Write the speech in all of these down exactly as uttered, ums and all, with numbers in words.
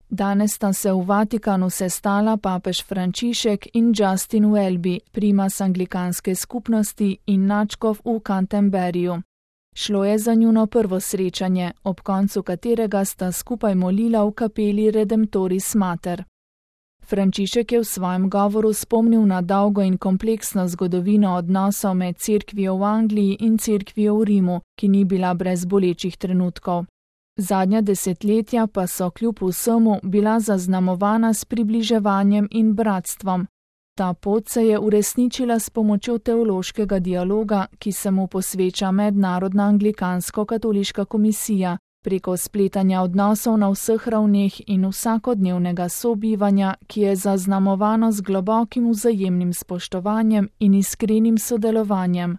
Danes sta se v Vatikanu sestala papež Frančišek in Justin Welby, primas anglikanske skupnosti in nadškof v Canterburyju. Šlo je za njuno prvo srečanje, ob koncu katerega sta skupaj molila v kapeli Redemptoris Mater. Frančišek je v svojem govoru spomnil na dolgo in kompleksno zgodovino odnosov med cerkvijo v Angliji in cerkvijo v Rimu, ki ni bila brez bolečih trenutkov. Zadnja desetletja pa so kljub vsemu bila zaznamovana s približevanjem in bratstvom. Ta pot se je uresničila s pomočjo teološkega dialoga, ki se mu posveča Mednarodna anglikansko-katoliška komisija, preko spletanja odnosov na vseh ravneh in vsakodnevnega sobivanja, ki je zaznamovano z globokim vzajemnim spoštovanjem in iskrenim sodelovanjem.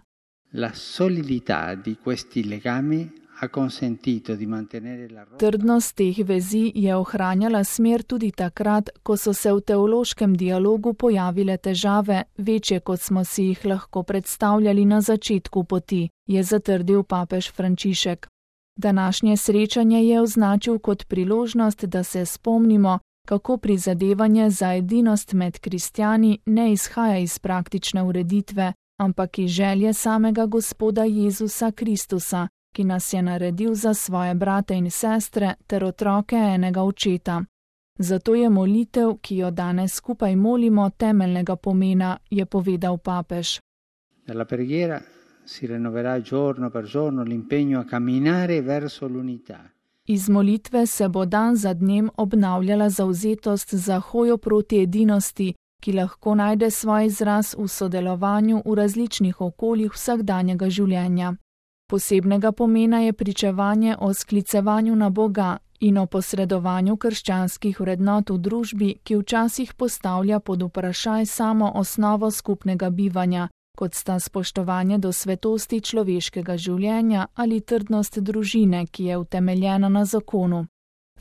La solidità di questi legami ha consentito di mantenere la rotta. Trdnost teh vezi je ohranjala smer tudi takrat, ko so se v teološkem dialogu pojavile težave, večje kot smo si jih lahko predstavljali na začetku poti, je zatrdil papež Frančišek. Današnje srečanje je označil kot priložnost, da se spomnimo, kako prizadevanje za edinost med kristjani ne izhaja iz praktične ureditve, ampak iz želje samega Gospoda Jezusa Kristusa, ki nas je naredil za svoje brate in sestre ter otroke enega očeta. Zato je molitev, ki jo danes skupaj molimo, temeljnega pomena, je povedal papež. Nella preghiera si rinnoverà giorno per giorno l'impegno a camminare verso l'unità. Iz molitve se bo dan za dnem obnavljala zavzetost za hojo proti edinosti, ki lahko najde svoj izraz v sodelovanju v različnih okoljih vsakdanjega življenja. Posebnega pomena je pričevanje o sklicevanju na Boga in o posredovanju krščanskih vrednot v družbi, ki včasih postavlja pod vprašaj samo osnovo skupnega bivanja, kot sta spoštovanje do svetosti človeškega življenja ali trdnost družine, ki je utemeljena na zakonu.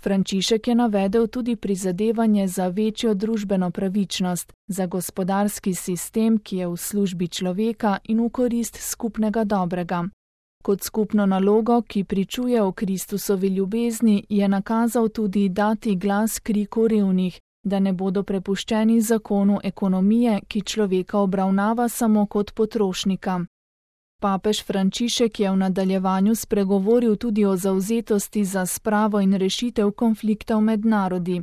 Frančišek je navedel tudi prizadevanje za večjo družbeno pravičnost, za gospodarski sistem, ki je v službi človeka in v korist skupnega dobrega. Kot skupno nalogo, ki pričuje o Kristusovi ljubezni, je nakazal tudi dati glas kriku revnih, da ne bodo prepuščeni zakonu ekonomije, ki človeka obravnava samo kot potrošnika. Papež Frančišek je v nadaljevanju spregovoril tudi o zavzetosti za spravo in rešitev konfliktov med narodi.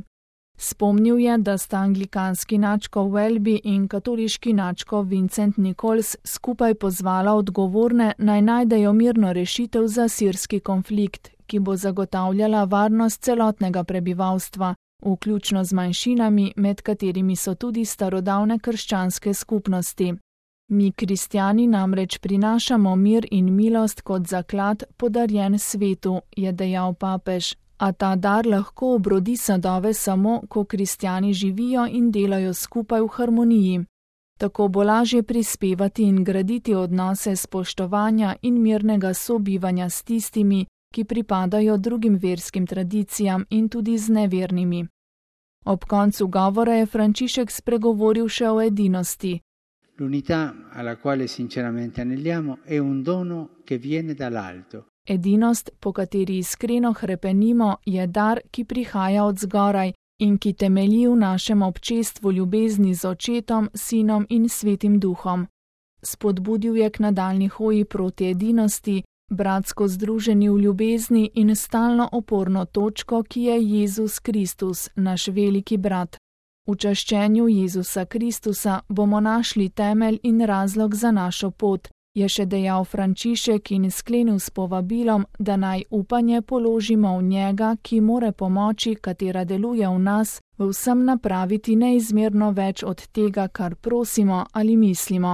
Spomnil je, da sta anglikanski nadškof Welby in katoliški nadškof Vincent Nichols skupaj pozvala odgovorne naj najdejo mirno rešitev za sirski konflikt, ki bo zagotavljala varnost celotnega prebivalstva, vključno z manjšinami, med katerimi so tudi starodavne krščanske skupnosti. Mi, kristjani, namreč prinašamo mir in milost kot zaklad podarjen svetu, je dejal papež. A ta dar lahko obrodi sadove samo, ko kristjani živijo in delajo skupaj v harmoniji. Tako bo lažje prispevati in graditi odnose spoštovanja in mirnega sobivanja s tistimi, ki pripadajo drugim verskim tradicijam in tudi z nevernimi. Ob koncu govora je Frančišek spregovoril še o edinosti. L'unità alla quale sinceramente aneliamo è un dono che viene dall'alto. Edinost, po kateri iskreno hrepenimo, je dar, ki prihaja od zgoraj in ki temelji v našem občestvu ljubezni z Očetom, Sinom in Svetim Duhom. Spodbudil je k nadaljnji hoji proti edinosti, bratsko združeni v ljubezni in stalno oporno točko, ki je Jezus Kristus, naš veliki brat. V čaščenju Jezusa Kristusa bomo našli temelj in razlog za našo pot, je še dejal Frančišek in sklenil s povabilom, da naj upanje položimo v njega, ki more pomoči, katera deluje v nas, v vsem napraviti neizmerno več od tega, kar prosimo ali mislimo.